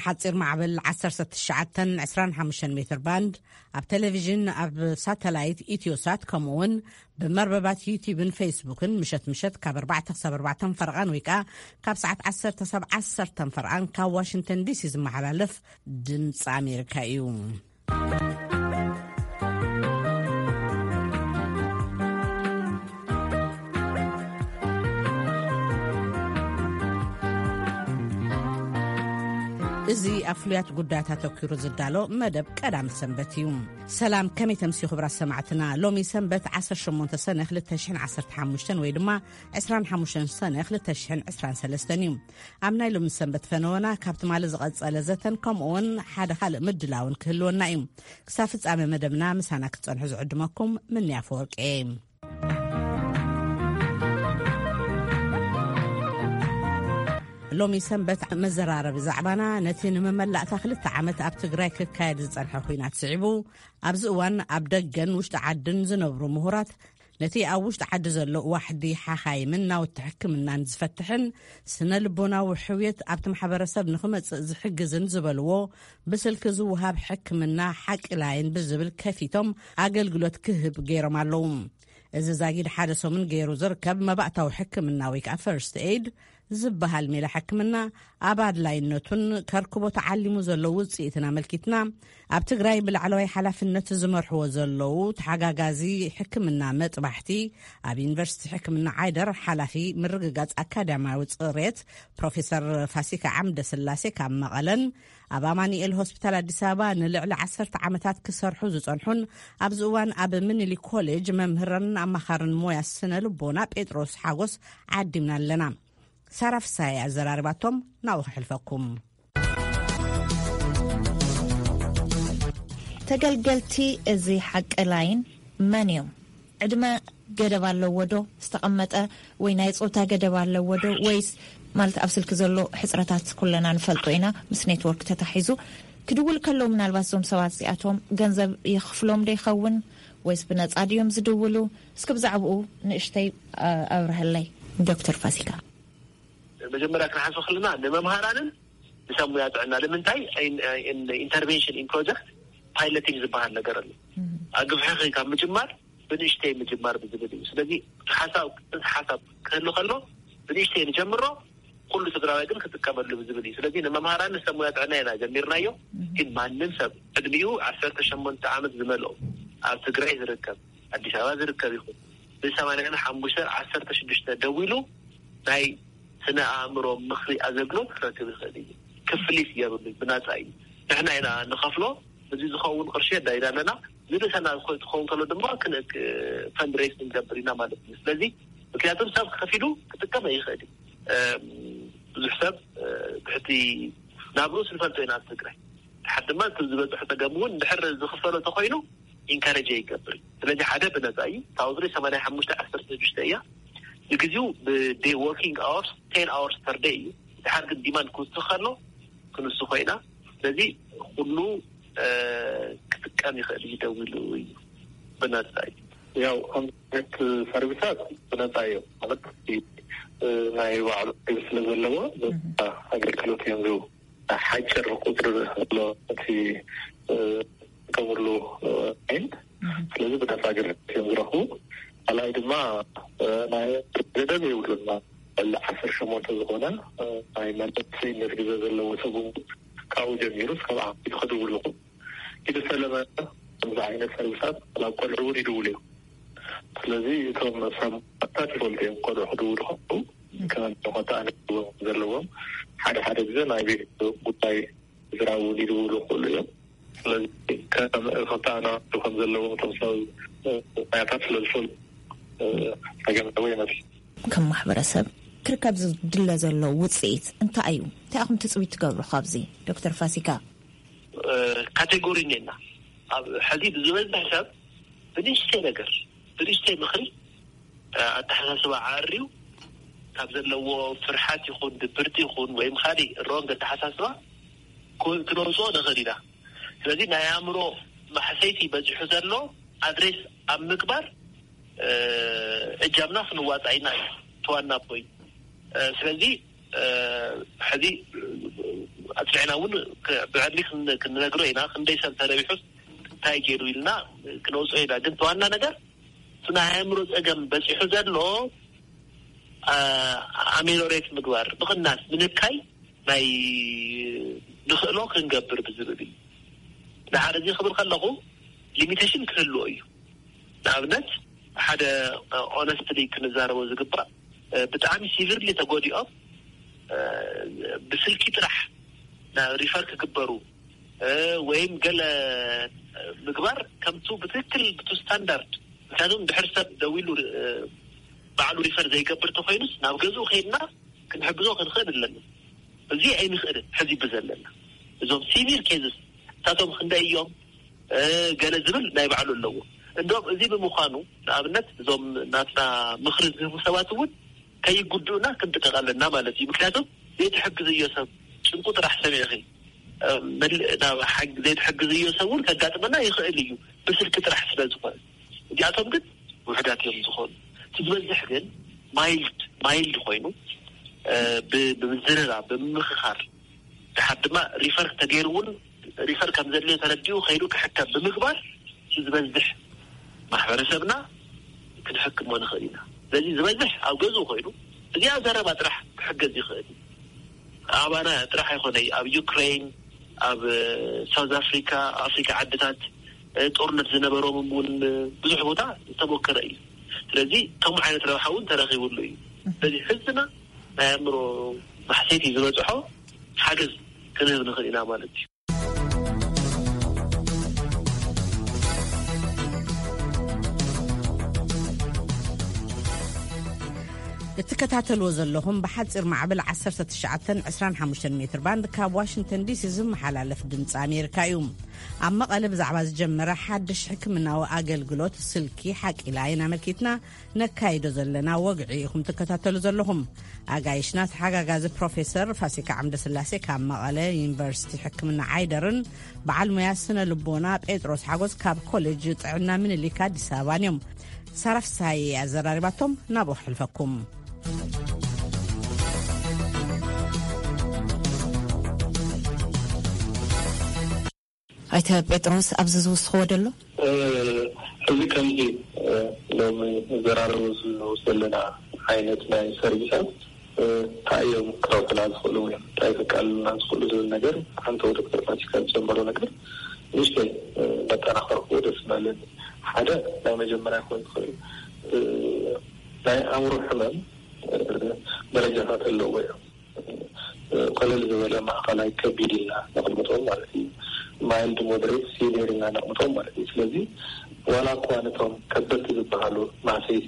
ሓጺር ማዕበል ዓሰርተ ትሽዓተ ዕስራን ሓሙሽተን ሜትር ባንድ፣ ኣብ ቴሌቪዥን፣ ኣብ ሳተላይት ኢትዮሳት፣ ከምኡ እውን ብመርበባት ዩቲዩብን ፌስቡክን ምሸት ምሸት ካብ ኣርባዕተ ክሳብ ኣርባዕተ ፈርቓን ወይ ከኣ ካብ ሰዓት ዓሰርተ ክሳብ ዓሰርተ ፈርቓን ካብ ዋሽንግተን ዲሲ ዝመሓላለፍ ድምፂ ኣሜሪካ እዩ። እዚ ኣብ ፍሉያት ጉዳያት ኣተኲሩ ዝዳሎ መደብ ቀዳም ሰንበት እዩ። ሰላም፣ ከመይ ተምስዩ ክቡራት ሰማዕትና? ሎሚ ሰንበት ዓሰርተ ሸሞንተ ሰነ ክልተ ሽሕን ዓሰርተ ሓሙሽተን ወይ ድማ ዕስራን ሓሙሽተን ሰነ ክልተ ሽሕን ዕስራን ሰለስተን እዩ። ኣብ ናይ ሎሚ ሰንበት ፈነወና ካብ ትማሊ ዝቐጸለ ዘተን ከምኡውን ሓደ ካልእ ምድላውን ክህልወና እዩ። ክሳብ ፍጻሜ መደብና ምሳና ክትጸንሑ ዝዕድመኩም ምንያ ፈወርቂ እየ። ሎሚ ሰንበት መዘራረቢ ዛዕባና ነቲ ንመመላእታ ክልተ ዓመት ኣብ ትግራይ ክካየድ ዝጸንሐ ኲናት ስዒቡ፣ ኣብዚ እዋን ኣብ ደገን ውሽጢ ዓድን ዝነብሩ ምሁራት ነቲ ኣብ ውሽጢ ዓዲ ዘሎ ዋሕዲ ሓኻይምን ናውቲ ሕክምናን ዝፈትሕን ስነ ልቦናዊ ሕውየት ኣብቲ ማሕበረሰብ ንኽመጽእ ዝሕግዝን ዝበልዎ ብስልኪ ዝወሃብ ሕክምና ሓቂ ላይን ብዝብል ከፊቶም ኣገልግሎት ክህብ ገይሮም ኣለዉ። እዚ ዛጊድ ሓደ ሰሙን ገይሩ ዝርከብ መባእታዊ ሕክምና ወይ ከዓ ፈርስት ኤድ ዝበሃል ሜላ ሕክምና ኣብ ኣድላይነቱን ከርክቦ ተዓሊሙ ዘሎ ውፅኢትን ኣመልኪትና ኣብ ትግራይ ብላዕለዋይ ሓላፍነት ዝመርሕዎ ዘለዉ ተሓጋጋዚ ሕክምና መጥባሕቲ ኣብ ዩኒቨርሲቲ ሕክምና ዓይደር ሓላፊ ምርግጋፅ ኣካዳሚያዊ ፅሬት ፕሮፌሰር ፋሲካ ዓምደ ስላሴ ካብ መቐለን ኣብ ኣማኑኤል ሆስፒታል ኣዲስ ኣበባ ንልዕሊ ዓሰርተ ዓመታት ክሰርሑ ዝጸንሑን ኣብዚ እዋን ኣብ ምኒልክ ኮሌጅ መምህርን ኣማኻርን ሞያ ስነ ልቦና ጴጥሮስ ሓጎስ ዓዲምና ኣለና። ሳራ ፍሳሐ ኣዘራሪባቶም ናብኡ ክሕልፈኩም። ተገልገልቲ እዚ ሓቂ ላይን መን እዮም? ዕድመ ገደብ ኣለዎ ዶ ዝተቐመጠ? ወይ ናይ ጾታ ገደብ ኣለዎ ዶ? ወይስ ማለት ኣብ ስልኪ ዘሎ ሕጽረታት ኩለና ንፈልጦ ኢና፣ ምስ ኔትወርክ ተታሒዙ ክድውል ከለዉ ምናልባት እዞም ሰባት እዚኣቶም ገንዘብ የኽፍሎም ዶ ይኸውን? ወይስ ብነጻ ድዮም ዝድውሉ? እስኪ ብዛዕባኡ ንእሽተይ፣ ኣ-፣ ኣብርሀለይ ዶክተር ፋሲካ። መጀመርያ ክንሓስብ ከለና ንመምሃራንን ንሰብ ሙያ ጥዕና ንምንታይ ኢን-፣ ኢን-፣ ኢንተርቬንሽን ኢን ፕሮጀክት ፓይለቲንግ ዝበሃል ነገር ኣሎ። ኣግፍሕኺ ካብ ምጅማር ብንእሽተይ ምጅማር ብዝብል እዩ። ስለዚ ሓሳብ፣ ሓሳብ ክህሉ ከሎ ብንእሽተይ ንጀምሮ፣ ኩሉ ትግራዋይ ግን ክጥቀመሉ ብዝብል እዩ። ስለዚ ንመምሃራን ንሰብ ሙያ ጥዕና ኢና ጀሚርናዮ። ግን ማንም ሰብ ዕድሚኡ ዓሰርተ ሸሞንተ ዓመት ዝመልኦ ኣብ ትግራይ ዝርከብ፣ ኣዲስ ኣበባ ዝርከብ ይኹን ብሰማንያን ሓሙሽተን ዓሰርተ ሽዱሽተ ደዊሉ ናይ ስነ ኣእምሮ ምኽሪ ኣገልግሎት ክረክብ ይኽእል እዩ። ክፍሊት የብሉን፣ ብናጻ እዩ። ንሕና ኢና ንኸፍሎ። እዚ ዝኸውን ቅርሺ ኣዳይና ኣለና። ዝንእሰና ክኸውን ከሎ ድማ ክን-፣ ክ-፣ ፈንድሬስ ክንገብር ኢና ማለት እዩ። ስለዚ ምክንያቱም ሰብ ከፊሉ ክጥቀም ኣይኽእል እዩ። እም፣ ብዙሕ ሰብ፣ እ፣ ትሕቲ ናብርኡ ስንፈልጦ ኢና ኣብ ትግራይ። ድሓር ድማ እቲ ዝበፅሑ ፀገም እውን እንድሕር ዝኽፈሎ ተኮይኑ ኢንካሬጅ ይገብር እዩ። ስለዚ ሓደ ብነፃ እዩ። ታውዝሪ ሰማንያ ሓሙሽተ ዓሰርተ ሽዱሽተ እያ። ንግዚኡ ብዴይ ወርኪንግ ኣወርስ ቴን ኣወርስ ፐር ዴይ እዩ። ድሓር ግን ዲማንድ ክውስኽ ከሎ ክንሱ ኮይና። ስለዚ ኩሉ፣ እ፣ ክጥቀም ይኽእል እዩ። ደዊሉ እዩ፣ ብነፃ እዩ። ያው ከምዚ ዓይነት ሰርቪሳት ብነፃ እዮም ማለት፣ እ፣ ናይ ባዕሉ ሰርቪስ ስለ ዘለዎ፣ ነፃ ኣገልግሎት እዮም ዝህቡ። ሓጭር ቁፅሪ ዘሎ እቲ፣ እ፣ ዝጥቀምሉ፣ እ፣ ላይን። ስለዚ ብነፃ ኣገልግሎት እዮም ዝረኽቡ። ካልኣይ ድማ፣ እ፣ ናይ ገደብ የብሉና። ልዕሊ ዓሰርተ ሸሞንተ ዝኾነ፣ እ፣ ናይ መለሰይነት ግዜ ዘለዎ ሰብ እውን ካብኡ ጀሚሩ እስካብ ዓመት ክድውል ይኽእሉ። ኢድ ሰለመ ከምዚ ዓይነት ሰርቪሳት ናብ ቆልዑ እውን ይድውሉ እዮም። ስለዚ እቶም ሰብ መብታት ይፈልጡ እዮም። ቆልዑ ክድውሉ ከለዉ ከም ክልተ ኣንስቲ ዘለዎም፣ ሓደ ሓደ ግዜ ናይ ቤት ጉዳይ ስድራ እውን ይድውሉ ይኽእሉ እዮም። ስለዚ ከም ክልተ ኣንስቲ ከም ዘለዎም እቶም ሰብ መብታት ስለ ዝፈልጡ፣ እ፣ ጸገም ዘለዎ ይመስል። ከም ማሕበረሰብ ክርከብ ዝድለ ዘሎ ውጽኢት እንታይ እዩ? እንታይ ኢኹም ትጽቢት ትገብሩ ካብዚ? ዶክተር ፋሲካ። እ፣ ካቴጎሪ እኒአና። ኣብ ሕዚ ብዝበዝሕ ሰብ ብንእሽተይ ነገር፣ ብንእሽተይ ምኽሪ፣ እ፣ ኣተሓሳስባ ዓርዩ ካብ ዘለዎ ፍርሓት ይኹን ድብርቲ ይኹን ወይም ካሊእ ሮንግ ኣተሓሳስባ ክ-፣ ክነውፅኦ ንኽእል ኢና። ስለዚ ናይ ኣእምሮ ማሕሰይቲ በዚሑ ዘሎ ኣድሬስ ኣብ ምግባር፣ እ፣ እጃምና ክንዋፃእ ኢና እዩ እቲ ዋና ፖይንት። እ፣ ስለዚ፣ እ፣ ሕዚ ኣጽኒዕና እውን ክ- ብዕሊ ክን- ክንነግሮ ኢና። ክንደይ ሰብ ተረቢሑስ እንታይ ገይሩ ኢልና ክነውፅኦ ኢና። ግን ተዋና ነገር እቲ ናይ ኣእምሮ ፀገም በፂሑ ዘሎ ኣሜሎሬት ምግባር፣ ምቕናስ፣ ምንካይ ናይ ንኽእሎ ክንገብር ብዝብል እዩ። ንሓደ እዚ ክብል ከለኹ ሊሚቴሽን ክህልዎ እዩ። ንኣብነት ሓደ ኦነስትሊ ክንዛረቦ ዝግባእ፣ ብጣዕሚ ሲቪርሊ ተጎዲኦም ብስልኪ ጥራሕ ናብ ሪፈር ክግበሩ ወይም ገለ ምግባር ከምቱ ብትክክል ብቱ ስታንዳርድ፣ ምክንያቱም ድሕር ሰብ ደዊሉ ባዕሉ ሪፈር ዘይገብር ተኮይኑስ ናብ ገዝኡ ከይድና ክንሕግዞ ክንኽእል ኣለና። እዚ ኣይንኽእልን። ሕዚ ብዘለና እዞም ሲቪር ኬዝስ እሳቶም ክንደይ እዮም ገለ ዝብል ናይ ባዕሉ ኣለዎ። እንዶም እዚ ብምዃኑ ንኣብነት እዞም ናትና ምኽሪ ዝህቡ ሰባት እውን ከይጉድኡና ክንጥቀቕ ኣለና ማለት እዩ። ምክንያቱም ዘይትሕግዝዮ ሰብ ጭንቁ ጥራሕ ሰሚዕኺ ዘይትሕግዝዮ ሰብ እውን ከጋጥመና ይኽእል እዩ፣ ብስልኪ ጥራሕ ስለ ዝኾነ። እዚኣቶም ግን ውሕዳት እዮም ዝኾኑ። እቲ ዝበዝሕ ግን ማይልድ ማይልድ ኮይኑ ብምዝርራ ብምምኽኻር፣ ድሓር ድማ ሪፈር ተገይሩ እውን ሪፈር ከም ዘድልዮ ተረዲኡ ከይዱ ክሕከም ብምግባር ዝበዝሕ ማሕበረሰብና ክንሕክሞ ንኽእል ኢና። ስለዚ ዝበዝሕ ኣብ ገዝኡ ኮይኑ እዚኣ ዘረባ ጥራሕ ክሕገዝ ይኽእል እዩ። ኣባና ጥራሕ ኣይኮነይ፣ ኣብ ዩክሬን፣ ኣብ ሳውዝ ኣፍሪካ፣ ኣፍሪካ ዓድታት ጦርነት ዝነበሮም እውን ብዙሕ ቦታ ዝተሞከረ እዩ። ስለዚ ከምኡ ዓይነት ረብሓ እውን ተረኺብሉ እዩ። ስለዚ ህዝብና ናይ ኣእምሮ ማሕሰይቲ ዝበፅሖ ሓገዝ ክንህብ ንኽእል ኢና ማለት እዩ። እትከታተልዎ ዘለኹም ብሓፂር ማዕበል ዓሰርተ ትሽዓተ ዕስራን ሓሙሽተን ሜትር ባንድ ካብ ዋሽንግተን ዲሲ ዝመሓላለፍ ድምፂ ኣሜሪካ እዩ። ኣብ መቐለ ብዛዕባ ዝጀመረ ሓድሽ ሕክምናዊ ኣገልግሎት ስልኪ ሓቂላ ኢና ኣመልኪትና ነካይዶ ዘለና ወግዒ ኢኹም ትከታተሉ ዘለኹም። ኣጋይሽና ተሓጋጋዚ ፕሮፌሰር ፋሲካ ዓምደስላሴ ካብ መቐለ ዩኒቨርሲቲ ሕክምና ዓይደርን በዓል ሙያ ስነ ልቦና ጴጥሮስ ሓጎስ ካብ ኮሌጅ ጥዕና ምኒልክ ኣዲስ ኣበባን እዮም። ሳራ ፍስሃየ ኣዘራሪባቶም ናብኡ ክሕልፈኩም። ኣይተ ጴጥሮስ ኣብዚ ዝውስኽዎ ደሎ? እዚ ከምዚ ሎሚ ንዘራረበሉ ዘለና ዓይነት ናይ ሰርቪሳት እንታይ እዮም ክረብሑና ዝኽእሉ ወይ እንታይ ከቃልሉና ዝኽእሉ ዝብል ነገር ሓንቲ ዶክተር ፋሲካ ዝጀመሮ ነገር ንእሽተይ መጠናኸርክዎ ደስ ምበለኒ። ሓደ ናይ መጀመርያ ክኾን ዝኽእል ናይ ኣእምሮ ሕመም ደረጃታት ኣለዎ እዮም። ቀለል ዝበለ ማእኸላይ ከቢድ ኢልና ነቕምጦም ማለት እዩ። ማይልድ ሞደሬት ሲቪር ኢልና ነቕምጦም ማለት እዩ። ስለዚ ዋላ እኳ ነቶም ከበድቲ ዝበሃሉ ማህሰይቲ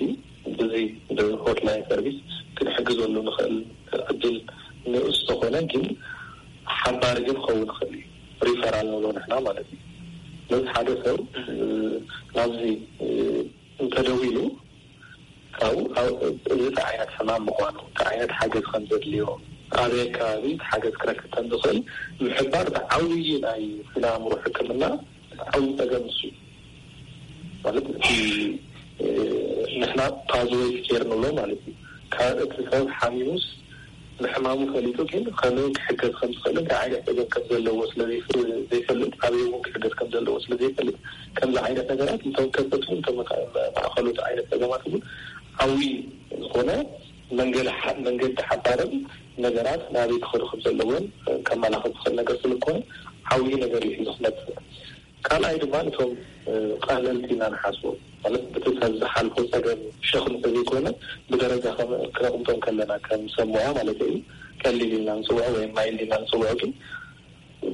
ብዚ ብሆትላይን ሰርቪስ ክንሕግዘሉ ንኽእል ዕድል ንኡስ ተኾነ ግን ሓባሪ ግን ክኸውን ይኽእል እዩ። ሪፈራል ንብሎ ንሕና ማለት እዩ። ስለዚ ሓደ ሰብ ናብዚ እንተደዊሉ ካብኡ እዚ እንታይ ዓይነት ሕማም ምዃኑ፣ እንታይ ዓይነት ሓገዝ ከም ዘድልዮ፣ ኣበይ ኣከባቢ እቲ ሓገዝ ክረክብ ከም ዝኽእል ምሕባር እቲ ዓብዪ ናይ ስነ ኣእምሮ ሕክምና እቲ ዓብዪ ጸገም እሱ እዩ። ማለት እቲ ንሕና ፓዝወይ ኬር ንብሎ ማለት እዩ። ካብ እቲ ሰብ ሓሚሙስ ንሕማሙ ፈሊጡ ግን ከመይ ክሕገዝ ከም ዝኽእልን እንታይ ዓይነት ጸገም ከም ዘለዎ ስለ ዘይፈልጥ ኣበይ እውን ክሕገዝ ከም ዘለዎ ስለ ዘይፈልጥ ከምዚ ዓይነት ነገራት እቶም ከበድትን እቶም ማእኸሎት ዓይነት ጸገማት እውን ዓብዪ ዝኾነ መንገዲ ሓባርን ነገራት ናበይ ክኸዱ ከም ዘለዎን ከመላኽት ዝኽእል ነገር ስለዝኾነ ዓብዪ ነገር እዩ ሒዙ ክመፅእ። ካልኣይ ድማ ነቶም ቀለልቲ ኢና ንሓስቦም ማለት በቲ ሰብ ዝሓልፎ ፀገም ሸኽሚ ተዘይኮነ ብደረጃ ክነቕምጦም ከለና ከም ሰብ ሞያ ማለት እዩ ቀሊል ኢልና ንፅውዖ ወይም ማይልድ ኢልና ንፅውዖ ግን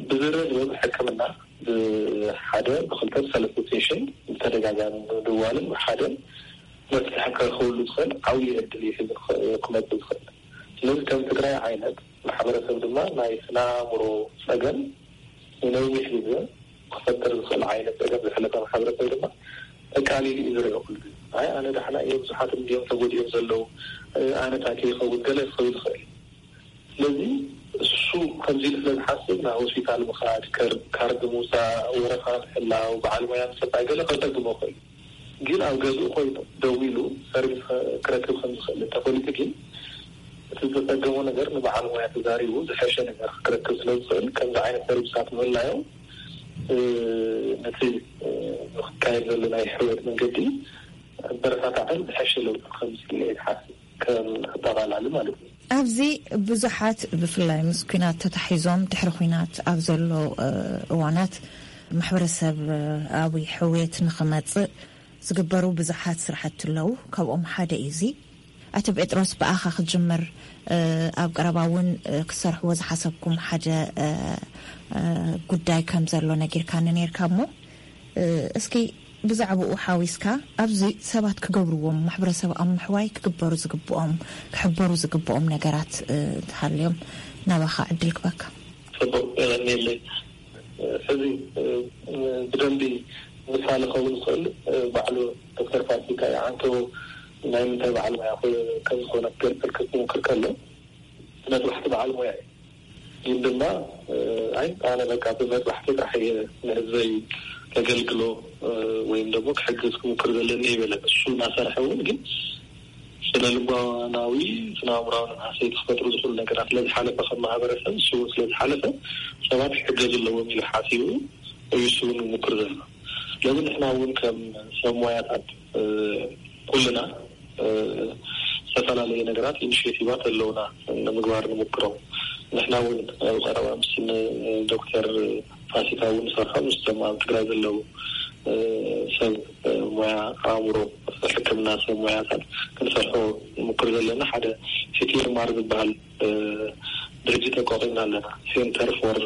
ብዝርዝር ሕክምና ብሓደ ብክልተ ብሰለስተ ሴሽን ብተደጋጋሚ ምድዋልን ብሓደ መፍትሒ ክረኽበሉ ዝኽእል ዓብዪ ዕድል እዩ ሒዙ ክመፅእ ዝኽእል። ስለዚ ከም ትግራይ ዓይነት ማሕበረሰብ ድማ ናይ ስነ ኣእምሮ ፀገም ንነዊሕ ግዜ ክፈጥር ዝኽእል ዓይነት ፀገም ዘሕለፈ ማሕበረሰብ ድማ ኣቃሊሉ እዩ ዝሪኦ ኩሉ ግዜ። ኣይ ኣነ ዳሕና እየ፣ ብዙሓት እንድዮም ተጎዲኦም ዘለዉ፣ ኣነ እንታይ ከይኸውን ገለ ክኸውን ይኽእል እዩ። ስለዚ እሱ ከምዚ ኢሉ ስለ ዝሓስብ ናብ ሆስፒታል ምኻድ፣ ካርድ ምውፃእ፣ ወረፋ ምሕላው፣ በዓል ሞያ ምፅባይ ገለ ከፀግሞ ይኽእል እዩ። ግን ኣብ ገዝኡ ኮይኑ ደዊሉ ሰርቪስ ክረክብ ከም ዝኽእል እንተፈሊጡ ግን እቲ ዘጸገሞ ነገር ንበዓል ሞያ ተዛሪቡ ዝሐሸ ነገር ክረክብ ስለ ዝኽእል፣ ከምዚ ዓይነት ሰርቪሳት ምህላዮም፣ እ፣ ነቲ፣ እ፣ ዝካየድ ዘሎ ናይ ሕውየት መንገዲ ኣበረታታዕን ዝሐሸ ለውጢ ከምፅእ ኢለ ይሓስብ፣ ከም ኣጠቓላሊ ማለት እዩ። ኣብዚ ብዙሓት፣ ብፍላይ ምስ ኲናት ተታሒዞም ድሕሪ ኲናት ኣብ ዘሎ፣ እ፣ እዋናት ማሕበረሰብ፣ እ፣ ኣብ ሕውየት ንኽመጽእ ዝግበሩ ብዙሓት ስራሕቲ ኣለዉ። ካብኦም ሓደ እዩ እዚ። ኣቶ ጴጥሮስ፣ ብኣኻ ክጅምር። እ፣ ኣብ ቀረባ እውን፣ እ፣ ክትሰርሕዎ ዝሓሰብኩም ሓደ፣ እ፣ እ፣ ጉዳይ ከም ዘሎ ነጊርካኒ ነይርካ እሞ፣ እ፣ እስኪ ብዛዕባኡ ሓዊስካ ኣብዚ ሰባት ክገብርዎም፣ ማሕበረሰብ ኣብ ምሕዋይ ክግበሩ ዝግብኦም፣ ክሕበሩ ዝግብኦም ነገራት፣ እ፣ እንተሃልዮም ናባኻ ዕድል ክበካ። ጽቡቅ፣ የቐንየለይ። ሕዚ፣ እ፣ ብደንቢ ምሳሌ ክኸውን ዝኽእል፣ እ፣ ባዕሉ ዶክተር ፋሲካ ይዓንቶ ናይ ምንታይ በዓል ሞያ ኮ-፣ ከም ዝኾነ ክገልጸልካ ክሙክር ከሎ፣ መጥባሕቲ በዓል ሞያ እዩ። ግን ድማ፣ እ፣ ኣይ፣ ኣነ በቃ ብመጥባሕቲ ጥራሕ እየ ንህዝበይ ከገልግሎ፣ እ፣ ወይም ደግሞ ክሕግዝ ክሙክር ዘለኒ ይበለ። እሱ እናሰርሐ እውን ግን ስነ ልቦናዊ፣ ስነ ኣእምራዊ ንቅሓት ክፈጥሩ ዝኽእሉ ነገራት ስለ ዝሓለፈ፣ ከም ማህበረሰብ እሱ እውን ስለ ዝሓለፈ፣ ሰባት ክሕገዙ ኣለዎም ኢሉ ሓሲቡ እዩ እሱ እውን ይሙክር ዘሎ። ስለዚ ንሕና እውን ከም ሰብ ሞያታት፣ እ፣ ኩልና፣ እ፣ ዝተፈላለየ ነገራት፣ ኢኒሽቲቫት ኣለውና ንምግባር ንሙክሮ። ንሕና እውን ኣብ ቀረባ ምስ ን-፣ ዶክተር ፋሲካ እውን ንሰርሖ፣ ምስቶም ኣብ ትግራይ ዘለዉ፣ እ፣ ሰብ፣ እ፣ ሞያ ኣእምሮ፣ ሕክምና ሰብ ሞያታት ክንሰርሖ ንሙክር ዘለና። ሓደ ሲ ቲ ኤም ኣር ዝበሃል፣ እ፣ ድርጅት ኣቋቒምና ኣለና። ሴንተር ፎር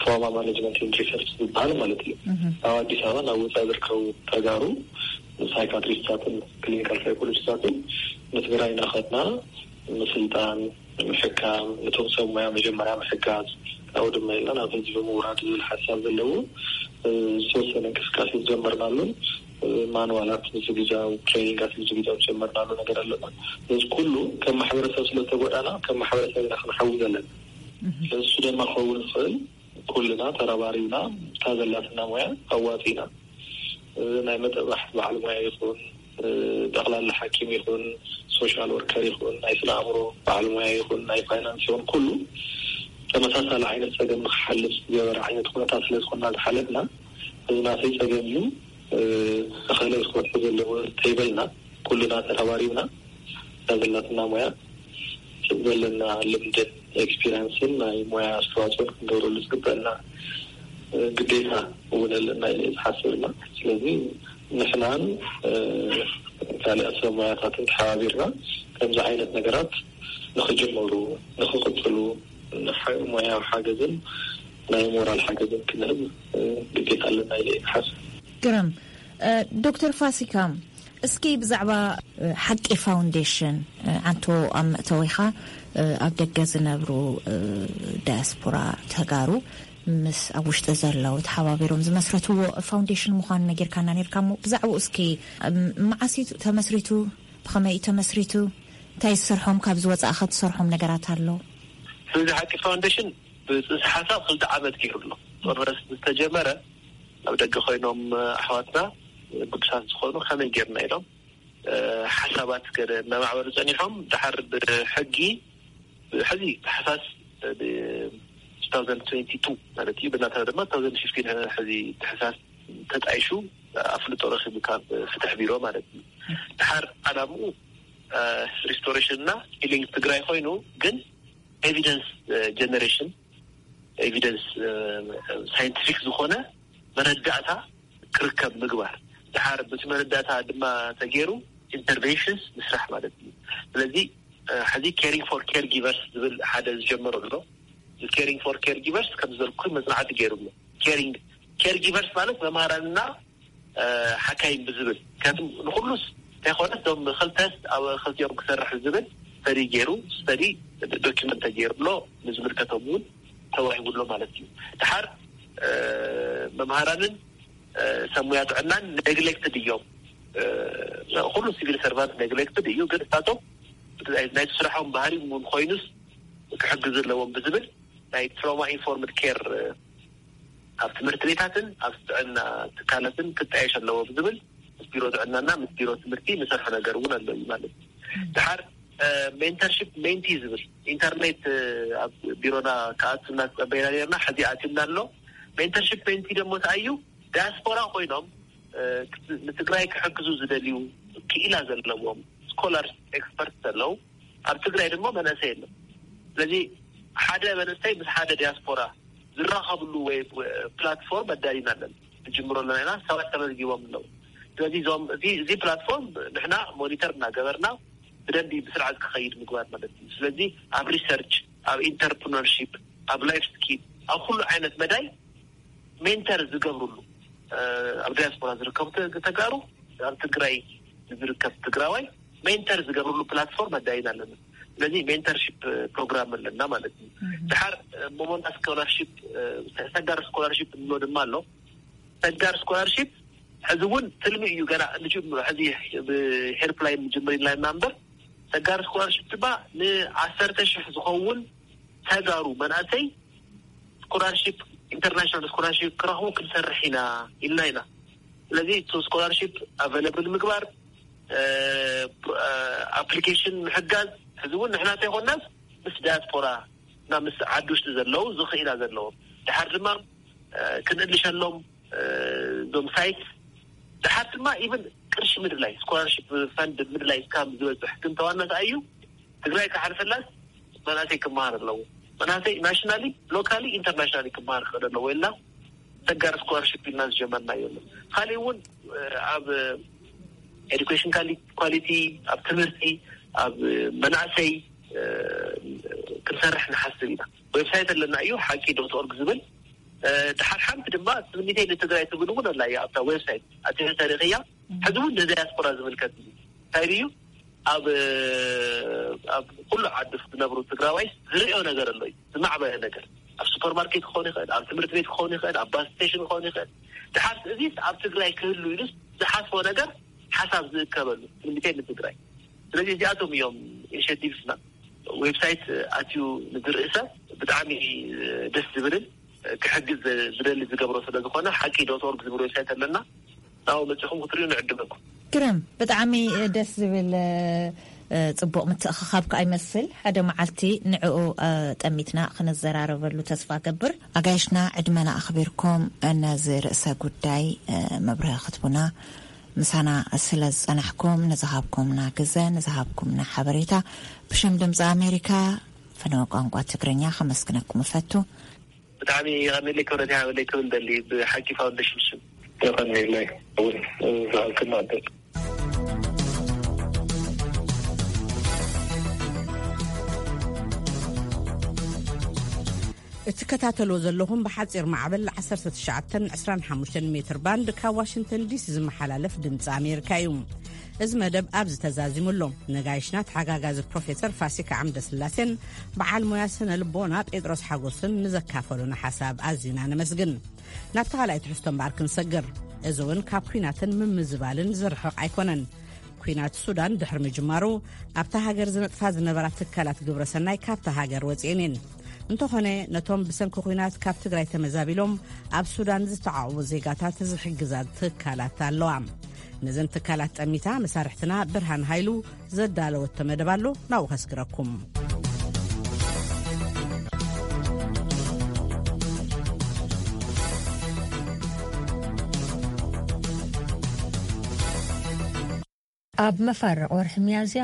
ትራውማ ማኔጅመንት ኤንድ ሪሰርች ዝበሃል ማለት እዩ። እህ። ኣብ ኣዲስ ኣበባ ናብ ወፃኢ ዝርከቡ ተጋሩ ሳይካትሪስታትን ክሊኒካል ሳይኮሎጂስታትን ንትግራይ እናኸድና ምስልጣን፣ ምሕካም፣ ነቶም ሰብ ሞያ መጀመርያ ምሕጋዝ፣ ካብኡ ድማ ኢልና ናብ ህዝቢ ምውራድ ዝብል ሓሳብ ዘለዎ፣ እ፣ ዝተወሰነ እንቅስቃሴ ዝጀመርናሉን፣ እ፣ ማንዋላት ምዝግጃው፣ ትሬኒንጋት ምዝግጃው ዝጀመርናሉ ነገር ኣለና። እዚ ኩሉ ከም ማሕበረሰብ ስለ ዝተጎዳና፣ ከም ማሕበረሰብ ኢና ክንሓዊ ዘለና። እህ። ስለዚ እሱ ድማ ክኸውን ዝኽእል ኩልና ተረባሪብና፣ እታ ዘላትና ሞያ ኣዋፂና፣ እ፣ ናይ መጠባሕቲ በዓል ሞያ ይኹን፣ እ፣ ጠቕላላ ሓኪም ይኹን፣ ሶሻል ወርከር ይኹን፣ ናይ ስነ ኣእምሮ በዓል ሞያ ይኹን፣ ናይ ፋይናንስ ይኹን፣ ኩሉ ተመሳሳሊ ዓይነት ጸገም ንክሓልፍ ዝገበረ ዓይነት ኩነታት ስለ ዝኾንና ዝሓለፍና፣ እዚ ናተይ ጸገም እዩ፣ እ፣ እኸለ ክፈትሑ ዘለዎ ተይበልና፣ ኩልና ተረባሪብና፣ እታ ዘላትና ሞያ፣ ዘለና ልምድን ኤክስፒሪንስን ናይ ሞያ ኣስተዋፅኦን ክንገብረሉ ዝግበአና ግዴታ እውን ኣለና ኢለ ዝሓስብና። ስለዚ ንሕናን፣ እ፣ ካልኣት ሰብ ሞያታትን ተሓባቢርና ከምዚ ዓይነት ነገራት ንኽጅመሩ፣ ንኽቕፅሉ፣ ንሓ-፣ ሞያዊ ሓገዝን ናይ ሞራል ሓገዝን ክንህብ፣ እ፣ ግዴታ ኣለና ኢለ እየ ዝሓስብ። ግርም። እ፣ ዶክተር ፋሲካ፣ እስኪ ብዛዕባ፣ እ፣ ሓቂ ፋውንዴሽን፣ እ፣ ዓንቶ ኣብ መእተዊኻ፣ እ፣ ኣብ ደገ ዝነብሩ፣ እ፣ ዳያስፖራ ተጋሩ ምስ ኣብ ውሽጢ ዘለዉ ተሓባቢሮም ዝመስረትዎ ፋውንዴሽን ምዃኑ ነጊርካና ነይርካ እሞ፣ ብዛዕባኡ እስኪ፣ እም፣ መዓስ እዩ ተመስሪቱ? ብኸመይ እዩ ተመስሪቱ? እንታይ ዝሰርሖም፣ ካብ ዝወጻእኸ ትሰርሖም ነገራት ኣሎ? እዚ ሓቂ ፋውንዴሽን ብጽንሰ ሓሳብ ክልተ ዓመት ገይሩ ኣሎ። ጦርነት ዝተጀመረ ኣብ ደገ ኮይኖም ኣሕዋትና ግዱሳት ዝኾኑ ከመይ ጌርና ኢሎም፣ እ፣ ሓሳባት ገለ እናማዕበሉ ጸኒሖም፣ ድሓር ብሕጊ፣ ብሕዚ ታሕሳስ፣ እ፣ ብ-፣ two thousand twenty-two ማለት እዩ፣ ብናትና ድማ two thousand fifteen ሕዚ ታሕሳስ ተጣይሹ ኣፍልጦ ረኺቡ ካብ ፍትሕ ቢሮ ማለት እዩ። ድሓር ዓላምኡ፣ እ፣ ሪስቶሬሽን እና ሂሊንግ ትግራይ ኮይኑ፣ ግን ኤቪደንስ፣ እ፣ ጀነሬሽን፣ ኤቪደንስ፣ እ፣ ሳይንቲፊክ ዝኾነ መረዳእታ ክርከብ ምግባር። ድሓር በቲ መረዳእታ ድማ ተገይሩ ኢንተርቬንሽንስ ምስራሕ ማለት እዩ። ስለዚ፣ እ፣ ሕዚ ኬሪንግ ፎር ኬር ጊቨርስ ዝብል ሓደ ዝጀመረ ኣሎ። ኬሪንግ ፎር ኬር ጊቨርስ ከም ዝበልኩ መጽናዕቲ ገይሩ ኣሎ። ኬሪንግ ኬር ጊቨርስ ማለት መምሃራንና፣ እ፣ ሓካይም ብዝብል፣ ምክንያቱም ንኩሉስ እንተይኮነስ እቶም ክልተስ ኣብ ክልቲኦም ክሰርሕ ዝብል ስተዲ ገይሩ፣ ስተዲ ዶኪመንት ተገይሩ ኣሎ፣ ንዝምልከቶም እውን ተዋሂቡ ኣሎ ማለት እዩ። ድሓር፣ እ፣ መምሃራንን፣ እ፣ ሰብ ሙያ ጥዕናን ኔግሌክትድ እዮም። እ፣ ኩሉ ሲቪል ሰርቫንት ኔግሌክትድ እዩ፣ ግን እሳቶም ናይቲ ስራሖም ባህሪ እውን ኮይኑስ ክሕግዙ ኣለዎም ብዝብል ናይ ትራውማ ኢንፎርምድ ኬር፣ እ፣ ኣብ ትምህርቲ ቤታትን ኣብ ጥዕና ትካላትን ክጣየሽ ኣለዎ ብዝብል ምስ ቢሮ ጥዕናና ምስ ቢሮ ትምህርቲ ንሰርሖ ነገር እውን ኣሎ እዩ ማለት እዩ። ድሓር ሜንተርሽፕ ሜንቲ ዝብል ኢንተርኔት ኣብ ቢሮና ክኣቱ እናተጸበይና ነርና። ሕዚ ኣትዩና ኣሎ። ሜንተርሽፕ ሜንቲ ደሞ ተኣዩ ዳያስፖራ ኮይኖም ንትግራይ ክሕግዙ ዝደልዩ ክኢላ ዘለዎም ስኮላር ኤክስፐርት ዘለዉ ኣብ ትግራይ ድማ መናእሰይ የለን። ስለዚ ሓደ መንእሰይ ምስ ሓደ ዲያስፖራ ዝራኸብሉ ወይ ፕላትፎርም ኣዳሊና ኣለና። ንጅምሮ ኣለና ኢና። ሰባት ተመዝጊቦም ኣለዉ። ስለዚ እዞም እዚ ፕላትፎርም ንሕና ሞኒተር እናገበርና ብደንቢ ብስርዓት ክኸይድ ምግባር ማለት እዩ። ስለዚ ኣብ ሪሰርች፣ ኣብ ኢንተርፕርነርሺፕ፣ ኣብ ላይፍ ስኪል፣ ኣብ ኩሉ ዓይነት መዳይ ሜንተር ዝገብርሉ ኣብ ዲያስፖራ ዝርከቡ ተጋሩ፣ ኣብ ትግራይ ዝርከብ ትግራዋይ ሜንተር ዝገብርሉ ፕላትፎርም ኣዳይና ኣለና። ስለዚ ሜንተርሺፕ ፕሮግራም ኣለና ማለት እዩ። ድሓር ሞሞና ስኮላርሺፕ፣ ሰጋር ስኮላርሺፕ እንብሎ ድማ ኣሎ። ሰጋር ስኮላርሺፕ ሕዚ እውን ትልሚ እዩ። ገና ንጅምሮ ሕዚ ብሄልፕላይን ንጅምር ኢልና ኢና እምበር ሰጋር ስኮላርሺፕ ድማ ንዓሰርተ ሽሕ ዝኸውን ተጋሩ መናእሰይ ስኮላርሺፕ፣ ኢንተርናሽናል ስኮላርሺፕ ክረኽቡ ክንሰርሕ ኢና ኢልና ኢና። ስለዚ እቲ ስኮላርሺፕ ኣቨለብል ምግባር፣ ኣፕሊኬሽን ምሕጋዝ፣ ሕዚ እውን ንሕና እንተይኮናስ ምስ ዳያስፖራ እና ምስ ዓዲ ውሽጢ ዘለዉ ዝኽኢላ ዘለዎም ድሓር ድማ ክንእልሸሎም እዞም ሳይት ድሓር ድማ ኢቨን ቅርሺ ምድላይ ስኮላርሽፕ ፈንድ ምድላይ እስካብ ዝበፅሕ ግን ተዋናት ኣዩ ትግራይ ክሓልፈላስ መናእሰይ ክመሃር ኣለዎ። መናእሰይ ናሽናሊ ሎካሊ ኢንተርናሽናሊ ክመሃር ክኽእል ኣለዎ ኢልና ተጋር ስኮላርሽፕ ኢልና ዝጀመርና የለን። ካሊእ እውን ኣብ ኤዱኬሽን ኳሊቲ ኣብ ትምህርቲ ኣብ መናእሰይ ክንሰርሕ ንሓስብ ኢና። ዌብሳይት ኣለና እዩ ሓቂ ዶት ኦርግ ዝብል ድሓር ሓንቲ ድማ ትምኒተይ ንትግራይ ትብል እውን ኣላ እያ ኣብታ ዌብሳይት ኣቲ ተሪኽያ። ሕዚ እውን ንዳያስፖራ ዝምልከት እዩ። እንታይ እዩ ኣብ ኣብ ኩሉ ዓዲ ዝነብሩ ትግራዋይ ዝርእዮ ነገር ኣሎ እዩ። ዝማዕበለ ነገር ኣብ ሱፐርማርኬት ክኸውን ይኽእል፣ ኣብ ትምህርቲ ቤት ክኸውን ይኽእል፣ ኣብ ባስ ስቴሽን ክኸውን ይኽእል። ድሓር እዚ ኣብ ትግራይ ክህሉ ኢሉ ዝሓስቦ ነገር ሓሳብ ዝእከበሉ ትምኒተይ ንትግራይ። ስለዚ እዚኣቶም እዮም ኢኒሽቲቭስና። ዌብሳይት ኣትዩ ንዝርኢ ሰብ ብጣዕሚ ደስ ዝብልን ክሕግዝ ዝደሊ ዝገብሮ ስለ ዝኾነ ሓቂ ዶት ኦርግ ዝብል ዌብሳይት ኣለና። ናው መፅኹም ክትሪኡ ንዕድመኩም። ግርም፣ ብጣዕሚ ደስ ዝብል ፅቡቕ ምትእኽኻብ ከኣ ይመስል። ሓደ መዓልቲ ንዕኡ ጠሚትና ክንዘራረበሉ ተስፋ ገብር። ኣጋይሽና ዕድመና ኣኽቢርኩም ነዚ ርእሰ ጉዳይ መብርሂ ክትቡና ምሳና ስለ ዝጸናሕኩም፣ ንዝሃብኩምና ግዘ፣ ንዝሃብኩምና ሓበሬታ ብሽም ድምፂ ኣሜሪካ ፈነወ ቋንቋ ትግርኛ ከመስግነኩም እፈቱ። ብጣዕሚ የቐንየለይ ክብረት ይሃበለይ ክብል ደሊ ብሓቂ ፋውንዴሽን ሽም። የቐንየለይ እውን ዝሃብክና ዕድል። እትከታተልዎ ዘለኹም ብሓፂር ማዕበል ዓሰርተ ትሽዓተን ዕስራን ሓሙሽተን ሜትር ባንድ ካብ ዋሽንግተን ዲሲ ዝመሓላለፍ ድምፂ ኣሜሪካ እዩ። እዚ መደብ ኣብዚ ተዛዚሙ ኣሎ። ነጋይሽና ተሓጋጋዚ ፕሮፌሰር ፋሲካ ዓምደ ስላሴን በዓል ሞያ ስነ ልቦና ጴጥሮስ ሓጎስን ንዘካፈሉና ሓሳብ ኣዚና ነመስግን። ናብቲ ካልኣይ ትሕዝቶ እምበኣር ክንሰግር። እዚ እውን ካብ ኲናትን ምምዝባልን ዝርሕቕ ኣይኮነን። ኲናት ሱዳን ድሕሪ ምጅማሩ ኣብታ ሃገር ዝነጥፋ ዝነበራ ትካላት ግብረ ሰናይ ካብታ ሃገር ወፂኤን እየን። እንተኾነ ነቶም ብሰንኪ ኲናት ካብ ትግራይ ተመዛቢሎም ኣብ ሱዳን ዝተዓቑቡ ዜጋታት ዝሕግዛ ትካላት ኣለዋ። ነዘን ትካላት ጠሚታ መሳርሕትና ብርሃን ሃይሉ ዘዳለወቶ መደብ ኣሎ፣ ናብኡ ከስግረኩም። ኣብ መፋርቕ ወርሒ ሚያዝያ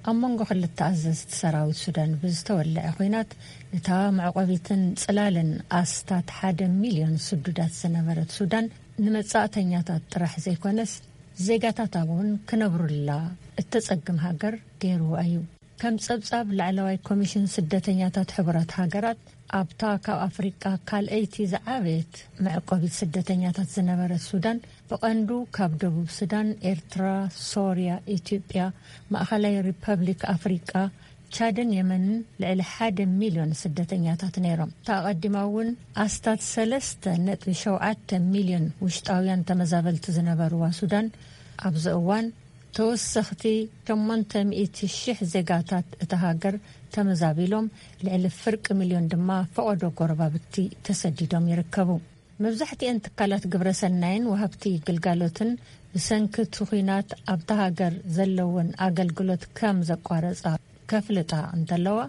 ኣብ መንጎ ክልተ ኣዘዝቲ ሰራዊት ሱዳን ብዝተወልዐ ኲናት፣ እታ መዕቆቢትን ጽላልን ኣስታት ሓደ ሚልዮን ስዱዳት ዝነበረት ሱዳን፣ ንመጻእተኛታት ጥራሕ ዘይኮነስ፣ ዜጋታታ እውን ክነብሩላ እተጸግም ሃገር ገይርዋ እዩ። ከም ጸብጻብ ላዕለዋይ ኮሚሽን ስደተኛታት ሕቡራት ሃገራት፣ ኣብታ ካብ ኣፍሪቃ ካልኣይቲ ዝዓበየት መዕቆቢት ስደተኛታት ዝነበረት ሱዳን፣ ብቐንዱ ካብ ደቡብ ሱዳን፣ ኤርትራ፣ ሶርያ፣ ኢትዮጵያ፣ ማእኸላይ ሪፐብሊክ ኣፍሪቃ፣ ቻድን የመንን ልዕሊ ሓደ ሚልዮን ስደተኛታት ነይሮም። እታ ኣቐዲማ እውን ኣስታት ሰለስተ ነጥቢ ሸውዓተ ሚልዮን ውሽጣውያን ተመዛበልቲ ዝነበርዋ ሱዳን፣ ኣብዚ እዋን ተወሰኽቲ ሸሞንተ ሚእቲ ሽሕ ዜጋታት እታ ሃገር ተመዛቢሎም፣ ልዕሊ ፍርቂ ሚልዮን ድማ ፈቐዶ ጎረባብቲ ተሰዲዶም ይርከቡ። መብዛሕትኤን ትካላት ግብረ ሰናይን ወሃብቲ ግልጋሎትን ብሰንኪ እቲ ኲናት ኣብታ ሃገር ዘለወን ኣገልግሎት ከም ዘቋረጻ ከፍልጣ እንተለዋ፣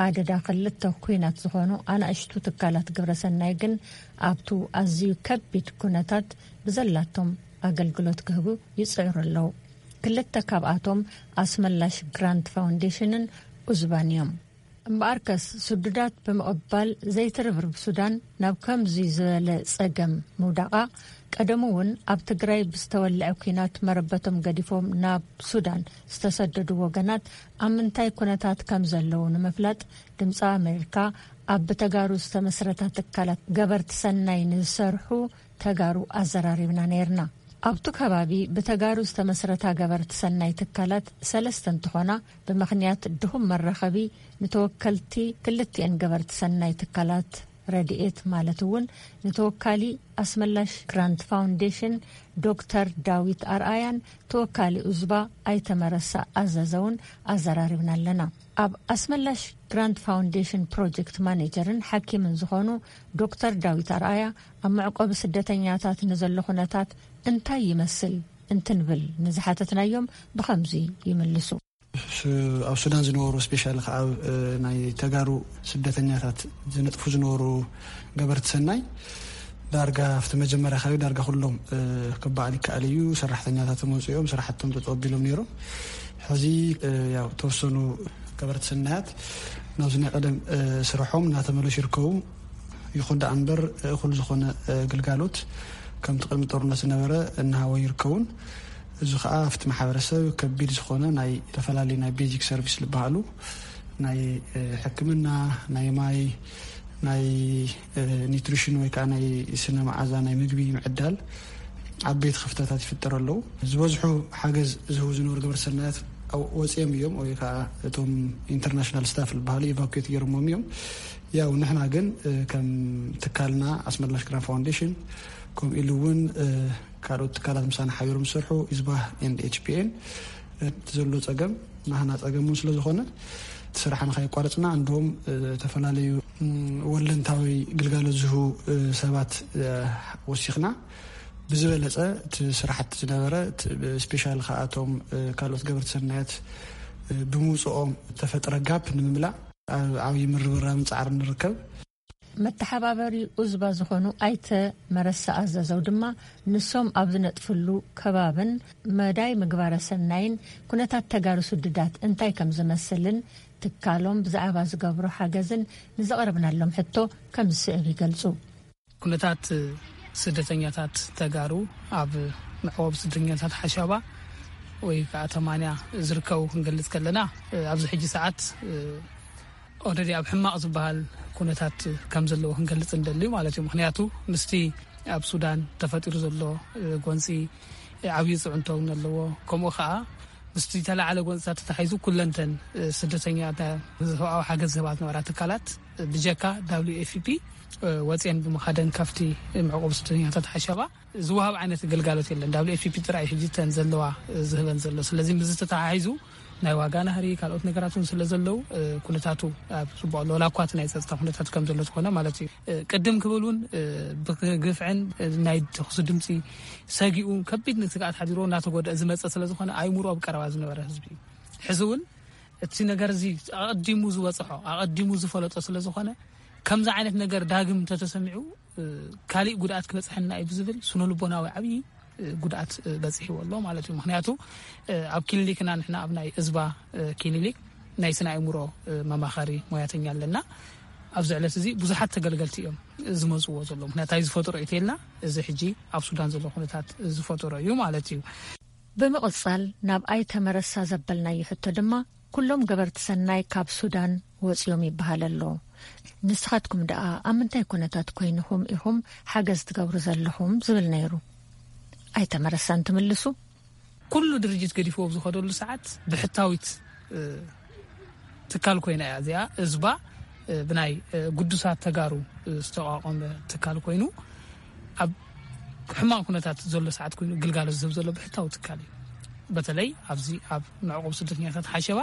ኣደዳ ክልተ ኩናት ዝኾኑ ኣናእሽቱ ትካላት ግብረሰናይ ግን ኣብቱ ኣዝዩ ከቢድ ኩነታት ብዘላቶም ኣገልግሎት ክህቡ ይጽዕሩ ኣለዉ። ክልተ ካብኣቶም ኣስመላሽ ግራንት ፋውንዴሽንን ኡዝባን እዮም። እምበኣርከስ፣ ስዱዳት ብምቕባል ዘይትርብርብ ሱዳን ናብ ከምዚ ዝበለ ጸገም ምውዳቓ፣ ቀደሙ እውን ኣብ ትግራይ ብዝተወልዐ ኲናት መረበቶም ገዲፎም ናብ ሱዳን ዝተሰደዱ ወገናት ኣብ ምንታይ ኩነታት ከም ዘለዉ ንምፍላጥ፣ ድምፂ ኣሜሪካ ኣብ ብተጋሩ ዝተመስረታ ትካላት ገበርቲ ሰናይ ንዝሰርሑ ተጋሩ ኣዘራሪብና ነይርና። ኣብቱ ከባቢ ብተጋሩ ዝተመስረታ ገበርቲ ሰናይ ትካላት ሰለስተ እንትኾና፣ ብምኽንያት ድኹም መራኸቢ ንተወከልቲ ክልቲኤን ገበርቲ ሰናይ ትካላት ረድኤት፣ ማለት እውን ንተወካሊ ኣስመላሽ ግራንት ፋውንዴሽን ዶክተር ዳዊት ኣርኣያን ተወካሊ ኡዝባ ኣይተመረሳ ኣዘዘውን ኣዘራሪብና ኣለና። ኣብ ኣስመላሽ ግራንት ፋውንዴሽን ፕሮጀክት ማኔጀርን ሓኪምን ዝኾኑ ዶክተር ዳዊት ኣርኣያ፣ ኣብ መዕቆቢ ስደተኛታት ንዘሎ ኩነታት እንታይ ይመስል እንትንብል ንዝሓተትናዮም ብኸምዚ ይምልሱ። ሱ-፣ ኣብ ሱዳን ዝነበሩ፣ ስፔሻሊ ከኣ ኣብ፣ እ፣ ናይ ተጋሩ ስደተኛታት ዝነጥፉ ዝነበሩ ገበርቲ ሰናይ፣ ዳርጋ ኣብቲ መጀመርያ ከባቢ ዳርጋ ኩሎም፣ እ፣ ክበዓል ይከኣል እዩ። ሰራሕተኛታቶም ወፂኦም ስራሕቶም ጠጠው ኣቢሎም ነይሮም። ሕዚ፣ እ፣ ያው ተወሰኑ ገበርቲ ሰናያት ናብዚ ናይ ቀደም፣ እ፣ ስርሖም እናተመለሱ ይርከቡ። ይኹን ደኣ እምበር፣ እኹል ዝኾነ፣ እ፣ ግልጋሎት ከምቲ ቅድሚ ጦርነት ዝነበረ እናሃወ ይርከቡን። እዚ ኸዓ ኣብቲ ማሕበረሰብ ከቢድ ዝኾነ ናይ ዝተፈላለዩ ናይ ቤዚክ ሰርቪስ ዝበሃሉ፣ ናይ፣ እ፣ ሕክምና፣ ናይ ማይ፣ ናይ፣ እ፣ ኒትሪሽን ወይ ከዓ ናይ ስነ መዓዛ ናይ ምግቢ ምዕዳል ዓበይቲ ክፍተታት ይፍጠሩ ኣለዉ። ዝበዝሑ ሓገዝ ዝህቡ ዝነበሩ ገበርቲ ሰናያት ኣብ-፣ ወፂኦም እዮም፣ ወይ ከዓ እቶም ኢንተርናሽናል ስታፍ ዝበሃሉ ኢቫኩዌት ገይሮሞም እዮም። ያው ንሕና ግን፣ እ፣ ከም ትካልና ኣስመላሽ ግራንት ፋውንዴሽን፣ ከምኡ ኢሉ እውን፣ እ፣ ካልኦት ትካላት ምሳና ሓቢሮም ዝሰርሑ፣ ኢዝባህ ኤንድ ኤች ፒ ኤን፣ እቲ ዘሎ ጸገም ናህና ጸገም እውን ስለ ዝኾነ፣ እቲ ስራሕና ከየቋረጽና፣ እንደውም፣ እ፣ ዝተፈላለዩ፣ ም፣ ወለንታዊ ግልጋሎት ዝህቡ፣ እ፣ ሰባት፣ እ፣ ወሲኽና፣ ብዝበለጸ እቲ ስራሕቲ ዝነበረ፣ እቲ፣ ስፔሻል ከኣቶም፣ እ፣ ካልኦት ገበርቲ ሰናያት፣ እ፣ ብምውጽኦም ተፈጥረ ጋፕ ንምምላእ ኣብ ዓብዪ ምርብራብን ጻዕርን ንርከብ። መተሓባበሪ ኡዝባ ዝኾኑ ኣይተ መረሳ ኣዘዘው ድማ፣ ንሶም ኣብ ዝነጥፍሉ ከባብን መዳይ ምግባረ ሰናይን ኩነታት ተጋሩ ስዱዳት እንታይ ከም ዝመስልን ትካሎም ብዛዕባ ዝገብሮ ሓገዝን ንዘቕረብናሎም ሕቶ ከም ዝስዕብ ይገልጹ። ኩነታት ስደተኛታት ተጋሩ ኣብ መዕቆቢ ስደተኛታት ሓሻባ ወይ ከዓ ተማንያ ዝርከቡ ክንገልጽ ከለና፣ ኣብዚ ሕጂ ሰዓት ኦልሬዲ ኣብ ሕማቕ ዝበሃል ኩነታት ከም ዘለዎ ክንገልጽ እንደልዩ ማለት እዩ። ምኽንያቱ ምስቲ ኣብ ሱዳን ተፈጢሩ ዘሎ፣ እ፣ ጎንጺ፣ እ፣ ዓብዪ ጽዕንቶ እውን ኣለዎ። ከምኡ ኸኣ ምስቲ ተላዓለ ጎንጽታት ተታሒዙ ኩለንተን፣ እ፣ ስደተኛ፣ ተ-፣ ሰብኣዊ ሓገዝ ዝህባ ዝነበራ ትካላት፣ እ፣ ብጀካ ደብሊው ኤፍ ፒ፣ እ፣ ወጽየን ብምኻደን ካብቲ መዕቆቢ ስደተኛታት ሓሸባ ዝወሃብ ዓይነት ግልጋሎት የለን። ደብሊው ኤፍ ፒ ጥራይ ሕጂ ተን ዘለዋ፣ እ፣ ዝህበን ዘሎ። ስለዚ ምስዚ ተተሓሒዙ ናይ ዋጋ ናህሪ፣ ካልኦት ነገራት እውን ስለ ዘለዉ፣ እ፣ ኩነታቱ ኣብ ጽቡቕ ኣሎ። ዋላ እኳ እቲ ናይ ጸጥታ ኩነታት ከም ዘሎ ዝኾነ ማለት እዩ። እ፣ ቅድም ክብል እውን፣ እ፣ ብግፍዕን፣ እ፣ ናይ ተኹሲ ድምጺ ሰጊኡ ከቢድ ስግኣት ሓዲርዎ እናተጎድአ ዝመጸ ስለ ዝኾነ፣ ኣእምሮ ኣብ ቀረባ ዝነበረ ህዝቢ እዩ። ሕዚ እውን እቲ ነገር እዚ ኣቐዲሙ ዝበጽሖ፣ ኣቐዲሙ ዝፈለጦ ስለ ዝኾነ፣ ከምዚ ዓይነት ነገር ዳግም እንተተሰሚዑ፣ እ፣ ካሊእ ጉድኣት ክበጽሐና እዩ ብዝብል ስነ ልቦናዊ ዓብዪ፣ እ፣ ጉድኣት፣ እ፣ በጺሕዎ ኣሎ ማለት እዩ። ምኽንያቱ፣ እ፣ ኣብ ክሊኒክና ንሕና ኣብ ናይ እዝባ፣ እ፣ ክሊኒክ ናይ ስነ ኣእምሮ፣ እ፣ መማኸሪ ሞያተኛ ኣለና። ኣብዚ ዕለት እዚ ብዙሓት ተገልገልቲ እዮም ዝመጽዎ ዘለዉ። ምኽንያቱ እንታይ ዝፈጠሮ እዩ ተልና፣ እዚ ሕጂ ኣብ ሱዳን ዘሎ ኩነታት ዝፈጠሮ እዩ ማለት እዩ። ብምቕጻል ናብ ኣይተ መረሳ ዘበልናዮ ሕቶ ድማ፣ ኩሎም ገበርቲ ሰናይ ካብ ሱዳን ወጺኦም ይበሃል ኣሎ። ንስኻትኩም ደኣ ኣብ ምንታይ ኩነታት ኮይንኹም ኢኹም ሓገዝ ትገብሩ ዘለኹም? ዝብል ነይሩ። ኣይተ መረሳ እንትምልሱ፣ ኩሉ ድርጅት ገዲፍዎ ኣብ ዝኸደሉ ሰዓት ብሕታዊት፣ እ፣ ትካል ኮይና እያ እዚኣ። እዝባ፣ እ፣ ብናይ፣ እ፣ ግዱሳት ተጋሩ፣ እ፣ ዝተቋቋመ ትካል ኮይኑ፣ ኣብ ሕማቕ ኩነታት ዘሎ ሰዓት ኮይኑ ግልጋሎት ዝህብ ዘሎ ብሕታዊ ትካል እዩ። በተለይ ኣብዚ ኣብ መዕቆቢ ስደተኛታት ሓሸባ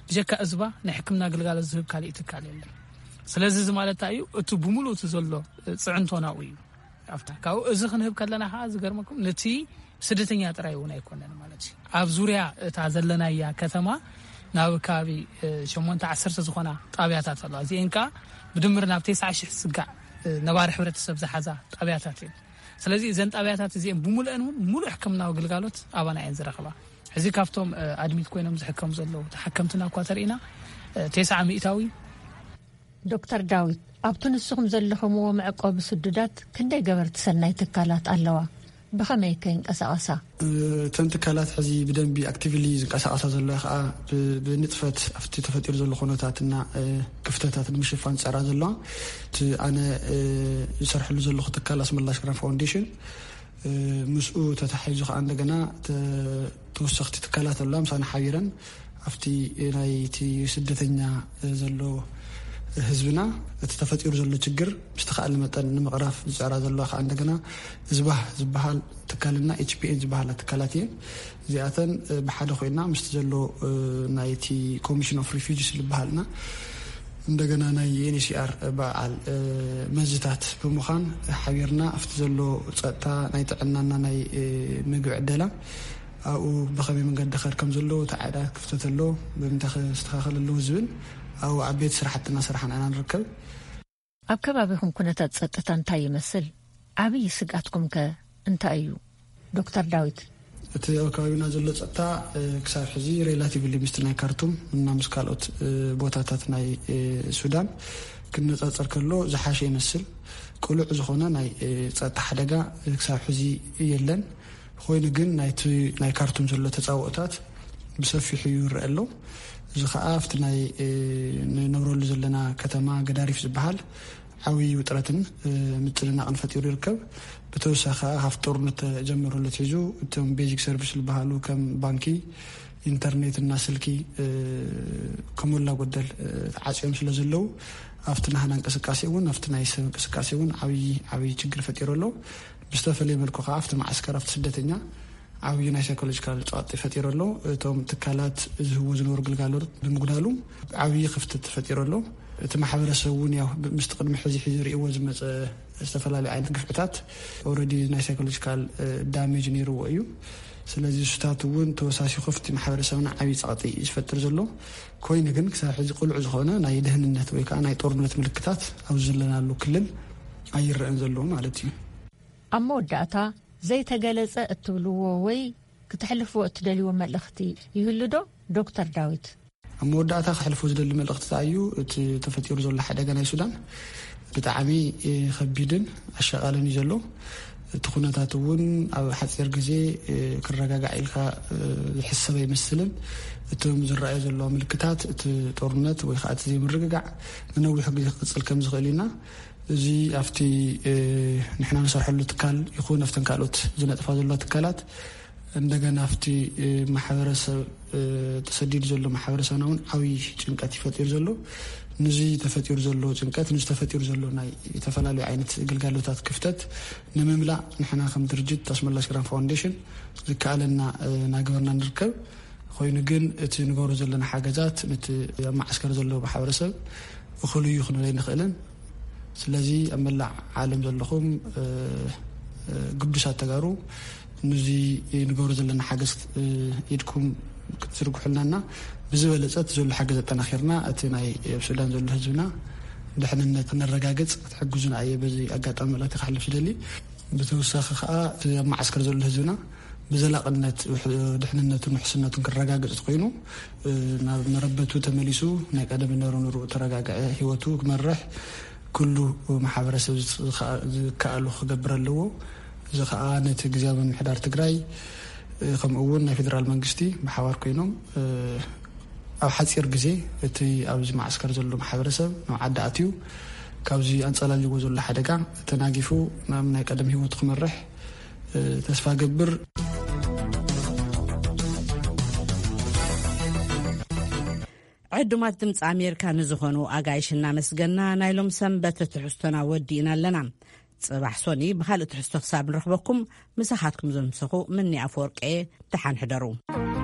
ብጀካ እዝባ ናይ ሕክምና ግልጋሎት ዝህብ ካሊእ ትካል የለን። ስለዚ እዚ ማለት እንታይ እዩ? እቲ ብምሉእ እቲ ዘሎ፣ እ፣ ጽዕንቶ ናብኡ እዩ። ኣብታ ካብኡ እዚ ክንህብ ከለና ከዓ ዝገርመኩም ነቲ ስደተኛ ጥራይ እውን ኣይኮነን ማለት እዩ። ኣብ ዙርያ እታ ዘለናያ ከተማ ናብ ከባቢ ሸሞንተ ዓሰርተ ዝኾና ጣብያታት ኣለዋ። እዚአን ከዓ ብድምር ናብ ተስዓ ሽሕ ዝስጋዕ ነባሪ ሕብረተሰብ ዝሓዛ ጣብያታት እየን። ስለዚ እዘን ጣብያታት እዚአን ብሙሉአን እውን ሙሉእ ሕክምናዊ ግልጋሎት ኣባና እየን ዝረኽባ። እዚ ካብቶም ኣድሚት ኮይኖም ዝሕከሙ ዘለዉ ተሓከምትና እኳ ተርእና ተስዓ ሚእታዊ። ዶክተር ዳዊት፣ ኣብቲ ንስኹም ዘለኹምዎ መዕቆቢ ስዱዳት ክንደይ ገበርቲ ሰናይ ትካላት ኣለዋ? ብኸመይ ከ ይንቀሳቐሳ? እተን ትካላት ሕዚ ብደንቢ ኣክቲቭሊ ዝንቀሳቐሳ ዘለዋ ከዓ ብንጥፈት ኣብቲ ተፈጢሩ ዘሎ ኩነታትና ክፍተታት ንምሽፋን ዝፀራ ዘለዋ እቲ ኣነ ዝሰርሐሉ ዘለኹ ትካል ኣስመላሽ ግራን ፋውንዴሽን ምስኡ ተታሒዙ ከዓ እንደገና ተወሰኽቲ ትካላት ኣለዋ ምሳና ሓቢረን ኣብቲ ናይቲ ስደተኛ ዘሎ ህዝብና እቲ ተፈጢሩ ዘሎ ችግር ብዝተኻእለ መጠን ንምቕራፍ ዝፅዕራ ዘለዋ ከዓ እንደገና ዝባህ ዝበሃል ትካልና ኤች ፒ ኤን ዝበሃላ ትካላት እየን። እዚኣተን ብሓደ ኮይና ምስቲ ዘሎ ናይቲ ኮሚሽን ኦፍ ሪፊጅስ ዝበሃልና እንደገና ናይ ኤን ኤች ሲ ኣር በዓል መዝታት ብምዃን ሓቢርና ኣብቲ ዘሎ ፀጥታ ናይ ጥዕናና ናይ ምግቢ ዕደላ ኣብኡ ብኸመይ መንገዲ ኸድ ከም ዘሎ እቲ ዓዳ ክፍተት ኣሎ ብምንታይ ክስተኻኸል ኣለዎ ዝብል ኣብኡ ዓበይቲ ስራሕትና ስራሕና ኢና ንርከብ። ኣብ ከባቢኹም ኩነታት ጸጥታ እንታይ ይመስል? ዓብዪ ስግኣትኩም ከ እንታይ እዩ? ዶክተር ዳዊት። እቲ ኣብ ከባቢና ዘሎ ጸጥታ ክሳብ ሕዚ ሬላቲቭሊ ምስቲ ናይ ካርቱም እና ምስ ካልኦት ቦታታት ናይ ሱዳን ክነጻጸር ከሎ ዝሓሸ ይመስል። ቅሉዕ ዝኾነ ናይ ጸጥታ ሓደጋ ክሳብ ሕዚ የለን። ኮይኑ ግን ናይቲ ናይ ካርቱም ዘሎ ተጻብኦታት ብሰፊሑ ይረአ ኣሎ። እዚ ከዓ ኣብቲ ናይ ንነብረሉ ዘለና ከተማ ገዳሪፍ ዝበሃል ዓብዪ ውጥረትን ምጭንናቕን ፈጢሩ ይርከብ። ብተወሳኺ ከዓ ካብቲ ጦርነት ተጀመረሉ ኣትሒዙ እቶም ቤዚክ ሰርቪስ ዝበሃሉ ከም ባንኪ፣ ኢንተርኔት እና ስልኪ ከሞላ ጎደል ተዓፅዮም ስለ ዘለዉ ኣብቲ ናህና እንቅስቃሴ እውን ኣብቲ ናይ ሰብ እንቅስቃሴ እውን ዓብዪ ዓብዪ ችግር ፈጢሩ ኣሎ። ብዝተፈለየ መልኩ ከዓ ኣብቲ መዓስከር ኣብቲ ስደተኛ ዓብዪ ናይ ሳይኮሎጂካል ፀቕጢ ፈጢሩ ኣሎ። እቶም ትካላት ዝህቡ ዝነበሩ ግልጋሎት ብምጉዳሉ ዓብዪ ክፍተት ፈጢሩ ኣሎ። እቲ ማሕበረሰብ እውን ያው ምስቲ ቅድሚ ሕዚ ሕዚ ርእይዎ ዝመፀ ዝተፈላለዩ ዓይነት ግፍዕታት ኦረዲ ናይ ሳይኮሎጂካል ዳሜጅ ነይርዎ እዩ። ስለዚ እሱታት እውን ተወሳሲኹ ኣብቲ ማሕበረሰብና ዓብዪ ፀቕጢ ዝፈጥር ዘሎ ኮይኑ ግን ክሳብ ሕዚ ቅሉዕ ዝኾነ ናይ ደህንነት ወይ ከዓ ናይ ጦርነት ምልክታት ኣብ ዘለናሉ ክልል ኣይረአን ዘለዎ ማለት እዩ። ኣብ መወዳእታ ዘይተገለጸ እትብልዎ ወይ ክተሕልፍዎ እትደልይዎ መልእኽቲ ይህሉ ዶ ዶክተር ዳዊት? ኣብ መወዳእታ ክሕልፎ ዝደሊ መልእኽቲ እንታይ እዩ? እቲ ተፈጢሩ ዘሎ ሓደጋ ናይ ሱዳን ብጣዕሚ ከቢድን ኣሻቓልን እዩ ዘሎ። እቲ ኩነታት እውን ኣብ ሓፂር ግዜ ክረጋጋዕ ኢልካ ዝሕሰብ ኣይመስልን። እቶም ዝረኣዩ ዘለዋ ምልክታት እቲ ጦርነት ወይ ከዓ እቲ ዘይምርግጋዕ ንነዊሑ ግዜ ክቅፅል ከም ዝኽእል ኢና። እዚ ኣብቲ ንሕና ንሰርሐሉ ትካል ይኹን ኣብተን ካልኦት ዝነጥፋ ዘለዋ ትካላት እንደገና ኣብቲ ማሕበረሰብ ተሰዲዱ ዘሎ ማሕበረሰብና እውን ዓብዪ ጭንቀት ይፈጢሩ ዘሎ። ንዚ ተፈጢሩ ዘሎ ጭንቀት ንዚ ተፈጢሩ ዘሎ ናይ ዝተፈላለዩ ዓይነት ግልጋሎታት ክፍተት ንምምላእ ንሕና ከም ድርጅት ኣስመላሽ ግራን ፋውንዴሽን ዝከኣለና እናገበርና ንርከብ። ኮይኑ ግን እቲ ንገብሮ ዘለና ሓገዛት ነቲ ኣብ ማዓስከር ዘለዎ ማሕበረሰብ እኹል እዩ ክንብል ኣይንኽእልን። ስለዚ ኣብ መላእ ዓለም ዘለኹም ግዱሳት ተጋሩ ንዚ ንገብሮ ዘለና ሓገዝ ኢድኩም ክትዝርግሑልና እና ብዝበለፀ እቲ ዘሎ ሓገዝ ኣጠናኺርና እቲ ናይ ኣብ ሱዳን ዘሎ ህዝብና ድሕንነት ክነረጋግፅ ክትሕግዙና እየ በዚ ኣጋጣሚ መልእኽቲ ክሕልፍ ዝደሊ። ብተወሳኺ ከዓ እቲ ኣብ ማዓስከር ዘሎ ህዝብና ብዘላቕነት ድሕንነቱን ውሕስነቱን ክረጋገፅ ኮይኑ ናብ መረበቱ ተመሊሱ ናይ ቀደም ነሩ ንርኡ ተረጋግዐ ህይወቱ ክመርሕ ኩሉ ማሕበረሰብ ዝከኣሉ ክገብር ኣለዎ። እዚ ከዓ ነቲ ግዝያዊ ምምሕዳር ትግራይ ከምኡ እውን ናይ ፌደራል መንግስቲ ብሓባር ኮይኖም ኣብ ሓፂር ግዜ እቲ ኣብዚ ማዓስከር ዘሎ ማሕበረሰብ ናብ ዓዲ ኣትዩ ካብዚ ኣንፀላልዎ ዘሎ ሓደጋ ተናጊፉ ናብ ናይ ቀደም ህይወቱ ክመርሕ ተስፋ ገብር። ዕዱማት ድምፂ ኣሜሪካ ንዝኾኑ ኣጋይሽ እናመስገና ናይ ሎም ሰንበት ትሕዝቶና ወዲእና ኣለና። ፅባሕ ሶኒ ብካልእ ትሕዝቶ ክሳብ ንረኽበኩም ምሳኻትኩም ዘምሰኹ ምኒ ኣፈወርቂ እየ። ደሓን ሕደሩ።